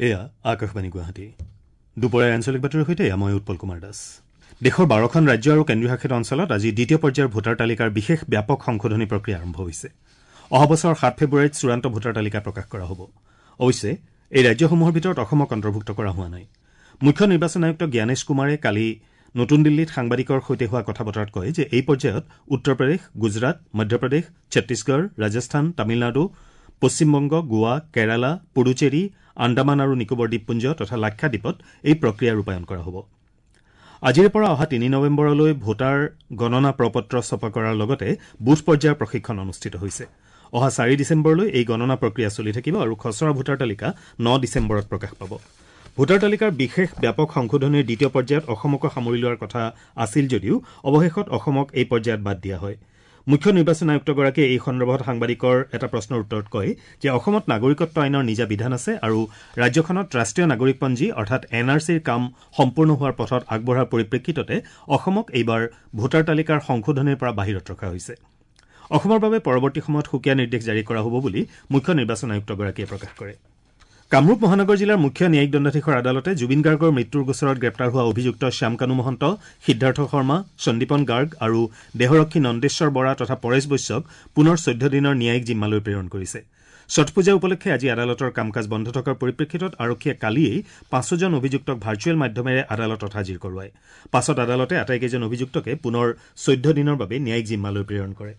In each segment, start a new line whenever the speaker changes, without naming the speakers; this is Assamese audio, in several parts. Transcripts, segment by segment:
এয়া আকাশবাণী গুৱাহাটী। দুপৰীয়াৰ আঞ্চলিক বাতৰিৰ সৈতে মই উৎপল কুমাৰ দাস। দেশৰ ১২খন ৰাজ্য আৰু কেন্দ্ৰীয় শাসিত অঞ্চলত আজি দ্বিতীয় পৰ্যায়ৰ ভোটাৰ তালিকাৰ বিশেষ ব্যাপক সংশোধনী প্ৰক্ৰিয়া আৰম্ভ হৈছে। অহা বছৰ ৭ ফেব্ৰুৱাৰীত চূড়ান্ত ভোটাৰ তালিকা প্ৰকাশ কৰা হ'ব। অৱশ্যে এই ৰাজ্যসমূহৰ ভিতৰত অসমক অন্তৰ্ভুক্ত কৰা হোৱা নাই। মুখ্য নিৰ্বাচন আয়ুক্ত জ্ঞানেশ কুমাৰে কালি নতুন দিল্লীত সাংবাদিকৰ সৈতে হোৱা কথা বতৰাত কয় যে এই পৰ্যায়ত উত্তৰ প্ৰদেশ, গুজৰাট, মধ্যপ্ৰদেশ, ছত্তীশগড়, ৰাজস্থান, তামিলনাডু, পশ্চিমবংগ, গোৱা, কেৰালা, পুডুচেৰী, আন্দামান আৰু নিকোবৰ দ্বীপপুঞ্জ তথা লাক্ষাদ্বীপত এই প্ৰক্ৰিয়া ৰূপায়ণ কৰা হ'ব। আজিৰে পৰা অহা ৩ নৱেম্বৰলৈ ভোটাৰ গণনা প্ৰপত্ৰ ছপা কৰাৰ লগতে বুথ পৰ্যায়ৰ প্ৰশিক্ষণ অনুষ্ঠিত হৈছে। অহা ৪ ডিচেম্বৰলৈ এই গণনা প্ৰক্ৰিয়া চলি থাকিব আৰু খচৰা ভোটাৰ তালিকা ৯ ডিচেম্বৰত প্ৰকাশ পাব। ভোটাৰ তালিকাৰ বিশেষ ব্যাপক সংশোধনীৰ দ্বিতীয় পৰ্যায়ত অসমকো সামৰি লোৱাৰ কথা আছিল যদিও অৱশেষত অসমক এই পৰ্যায়ত বাদ দিয়া হয়। মুখ্য নিৰ্বাচন আয়ুক্তগৰাকীয়ে এই সন্দৰ্ভত সাংবাদিকৰ এটা প্ৰশ্নৰ উত্তৰত কয় যে অসমত নাগৰিকত্ব আইনৰ নিজা বিধান আছে আৰু ৰাজ্যখনত ৰাষ্ট্ৰীয় নাগৰিকপঞ্জী অৰ্থাৎ এন আৰ চিৰ কাম সম্পূৰ্ণ হোৱাৰ পথত আগবঢ়াৰ পৰিপ্ৰেক্ষিততে অসমক এইবাৰ ভোটাৰ তালিকাৰ সংশোধনীৰ পৰা বাহিৰত ৰখা হৈছে। অসমৰ বাবে পৰৱৰ্তী সময়ত সুকীয়া নিৰ্দেশ জাৰি কৰা হ'ব বুলি মুখ্য নিৰ্বাচন আয়ুক্তগৰাকীয়ে প্ৰকাশ কৰে। কামৰূপ মহানগৰ জিলাৰ মুখ্য ন্যায়িক দণ্ডাধীশৰ আদালতে জুবিন গাৰ্গৰ মৃত্যুৰ গোচৰত গ্ৰেপ্তাৰ হোৱা অভিযুক্ত শ্যামকানু মহন্ত, সিদ্ধাৰ্থ শৰ্মা, সন্দীপন গাৰ্গ আৰু দেহৰক্ষী নন্দেশ্বৰ বৰা তথা পৰেশ বৈশ্যক পুনৰ ১৪ দিনৰ ন্যায়িক জিম্মালৈ প্ৰেৰণ কৰিছে। ছট পূজা উপলক্ষে আজি আদালতৰ কাম কাজ বন্ধ থকাৰ পৰিপ্ৰেক্ষিতত আৰক্ষীয়ে কালিয়েই পাঁচোজন অভিযুক্তক ভাৰ্চুৱেল মাধ্যমেৰে আদালতত হাজিৰ কৰোৱায়। পাছত আদালতে আটাইকেইজন অভিযুক্তকে পুনৰ ১৪ দিনৰ বাবে ন্যায়িক জিম্মালৈ প্ৰেৰণ কৰে।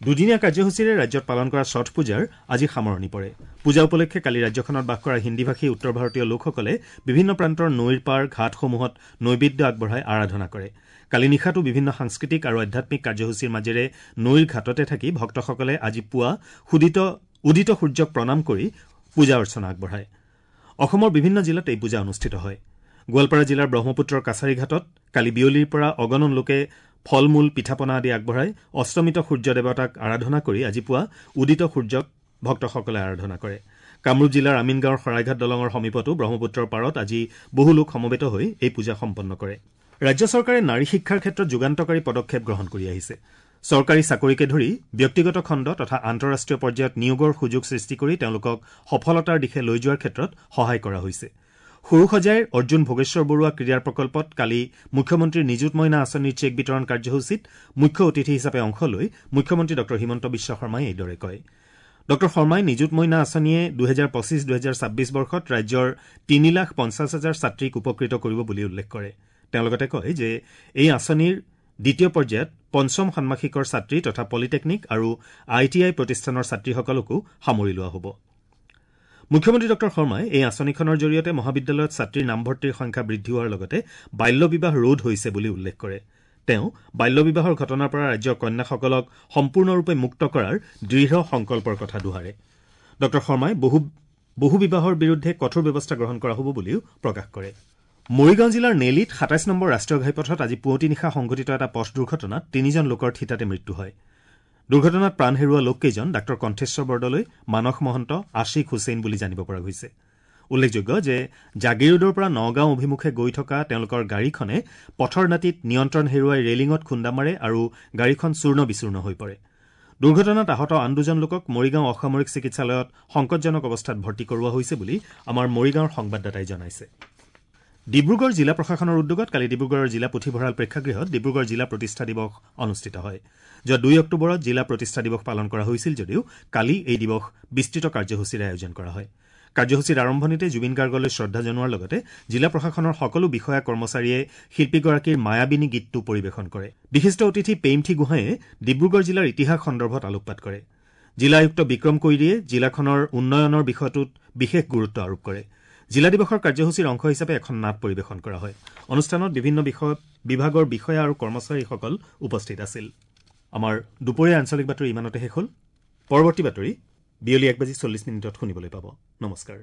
দুদিনীয়া কাৰ্যসূচীৰে ৰাজ্যত পালন কৰা ছট পূজাৰ আজি সামৰণি পৰে। পূজা উপলক্ষে কালি ৰাজ্যখনত বাস কৰা হিন্দীভাষী উত্তৰ ভাৰতীয় লোকসকলে বিভিন্ন প্ৰান্তৰ নৈৰ পাৰ ঘাটসমূহত নৈবেদ্য আগবঢ়াই আৰাধনা কৰে। কালি নিশাটো বিভিন্ন সাংস্কৃতিক আৰু আধ্যাত্মিক কাৰ্যসূচীৰ মাজেৰে নৈৰ ঘাটতে থাকি ভক্তসকলে আজি পুৱা উদিত সূৰ্যক প্ৰণাম কৰি পূজা অৰ্চনা আগবঢ়ায়। অসমৰ বিভিন্ন জিলাত এই পূজা অনুষ্ঠিত হয়। গোৱালপাৰা জিলাৰ ব্ৰহ্মপুত্ৰৰ কাছাৰী ঘাটত কালি বিয়লিৰ পৰা অগণন লোকে ফল মূল, পিঠা পনা আদি আগবঢ়াই অস্তমিত সূৰ্য দেৱতাক আৰাধনা কৰি আজি পুৱা উদিত সূৰ্যক ভক্তসকলে আৰাধনা কৰে। কামৰূপ জিলাৰ আমিনগাঁৱৰ শৰাইঘাট দলঙৰ সমীপতো ব্ৰহ্মপুত্ৰৰ পাৰত আজি বহু লোক সমবেত হৈ এই পূজা সম্পন্ন কৰে। ৰাজ্য চৰকাৰে নাৰী শিক্ষাৰ ক্ষেত্ৰত যুগান্তকাৰী পদক্ষেপ গ্ৰহণ কৰি আহিছে। চৰকাৰী চাকৰিকে ধৰি ব্যক্তিগত খণ্ড তথা আন্তঃৰাষ্ট্ৰীয় পৰ্যায়ত নিয়োগৰ সুযোগ সৃষ্টি কৰি তেওঁলোকক সফলতাৰ দিশে লৈ যোৱাৰ ক্ষেত্ৰত সহায় কৰা হৈছে। সৰুসজাইৰ অৰ্জুন ভোগেশ্বৰ বৰুৱা ক্ৰীড়া প্ৰকল্পত কালি মুখ্যমন্ত্ৰীৰ নিযুত মইনা আঁচনিৰ চেক বিতৰণ কাৰ্যসূচীত মুখ্য অতিথি হিচাপে অংশ লৈ মুখ্যমন্ত্ৰী ডঃ হিমন্ত বিশ্ব শৰ্মাই এইদৰে কয়। ডঃ শৰ্মাই নিযুত মইনা আঁচনিয়ে ২০২৫-২০২৬ বৰ্ষত ৰাজ্যৰ ৩,৫০,০০০ ছাত্ৰীক উপকৃত কৰিব বুলি উল্লেখ কৰে। তেওঁ লগতে কয় যে এই আঁচনিৰ দ্বিতীয় পৰ্যায়ত পঞ্চম ষাণ্মাসিকৰ ছাত্ৰী তথা পলিটেকনিক আৰু I T I প্ৰতিষ্ঠানৰ ছাত্ৰীসকলকো সামৰি লোৱা হ'ব। মুখ্যমন্ত্ৰী ডঃ শৰ্মাই এই আঁচনিখনৰ জৰিয়তে মহাবিদ্যালয়ত ছাত্ৰীৰ নামভৰ্তিৰ সংখ্যা বৃদ্ধি হোৱাৰ লগতে বাল্য বিবাহ ৰোধ হৈছে বুলি উল্লেখ কৰে। তেওঁ বাল্য বিবাহৰ ঘটনাৰ পৰা ৰাজ্যৰ কন্যাসকলক সম্পূৰ্ণৰূপে মুক্ত কৰাৰ দৃঢ় সংকল্পৰ কথা দোহাৰে। ডঃ শৰ্মাই বহু বিবাহৰ বিৰুদ্ধে কঠোৰ ব্যৱস্থা গ্ৰহণ কৰা হ'ব বুলিও প্ৰকাশ কৰে। মৰিগাঁও জিলাৰ নেলিত ২৭ নম্বৰ ৰাষ্ট্ৰীয় ঘাইপথত আজি পুৱতি নিশা সংঘটিত এটা পথ দুৰ্ঘটনাত তিনিজন লোকৰ থিতাতে মৃত্যু হয়। দুৰ্ঘটনাত প্ৰাণ হেৰুওৱা লোককেইজন ডাঃ কণ্ঠেশ্বৰ বৰদলৈ, মানস মহন্ত, আশিক হুছেইন বুলি জানিব পৰা গৈছে। উল্লেখযোগ্য যে জাগিৰোডৰ পৰা নগাঁও অভিমুখে গৈ থকা তেওঁলোকৰ গাড়ীখনে পথৰ দাঁতিত নিয়ন্ত্ৰণ হেৰুৱাই ৰেলিঙত খুন্দা মাৰে আৰু গাড়ীখন চূৰ্ণ বিচূৰ্ণ হৈ পৰে। দুৰ্ঘটনাত আহত আন দুজন লোকক মৰিগাঁও অসামৰিক চিকিৎসালয়ত সংকটজনক অৱস্থাত ভৰ্তি কৰোৱা হৈছে বুলি আমাৰ মৰিগাঁৱৰ সংবাদদাতাই জনাইছে। ডিব্ৰুগড় জিলা প্ৰশাসনৰ উদ্যোগত কালি ডিব্ৰুগড়ৰ জিলা পুথিভঁৰাল প্ৰেক্ষাগৃহত ডিব্ৰুগড় জিলা প্ৰতিষ্ঠা দিৱস অনুষ্ঠিত হয়। যোৱা ২ অক্টোবৰত জিলা প্ৰতিষ্ঠা দিৱস পালন কৰা হৈছিল যদিও কালি এই দিৱস বিস্তৃত কাৰ্যসূচীৰে আয়োজন কৰা হয়। কাৰ্যসূচীৰ আৰম্ভণিতে জুবিন গাৰ্গলৈ শ্ৰদ্ধা জনোৱাৰ লগতে জিলা প্ৰশাসনৰ সকলো বিষয়া কৰ্মচাৰীয়ে শিল্পীগৰাকীৰ মায়াবিনী গীতটো পৰিৱেশন কৰে। বিশিষ্ট অতিথি পেইমথি গোহাঁয়ে ডিব্ৰুগড় জিলাৰ ইতিহাস সন্দৰ্ভত আলোকপাত কৰে। জিলা আয়ুক্ত বিক্ৰম কৈৰীয়ে জিলাখনৰ উন্নয়নৰ বিষয়টোত বিশেষ গুৰুত্ব আৰোপ কৰে। জিলা দিৱসৰ কাৰ্যসূচীৰ অংশ হিচাপে এখন নাট পৰিৱেশন কৰা হয়। অনুষ্ঠানত বিভিন্ন বিভাগৰ বিষয়া আৰু কৰ্মচাৰীসকল উপস্থিত আছিল। আমাৰ দুপৰীয়া আঞ্চলিক বাতৰি ইমানতে শেষ হ'ল। পৰৱৰ্তী বাতৰি বিয়লি ১:৪০ শুনিবলৈ পাব। নমস্কাৰ।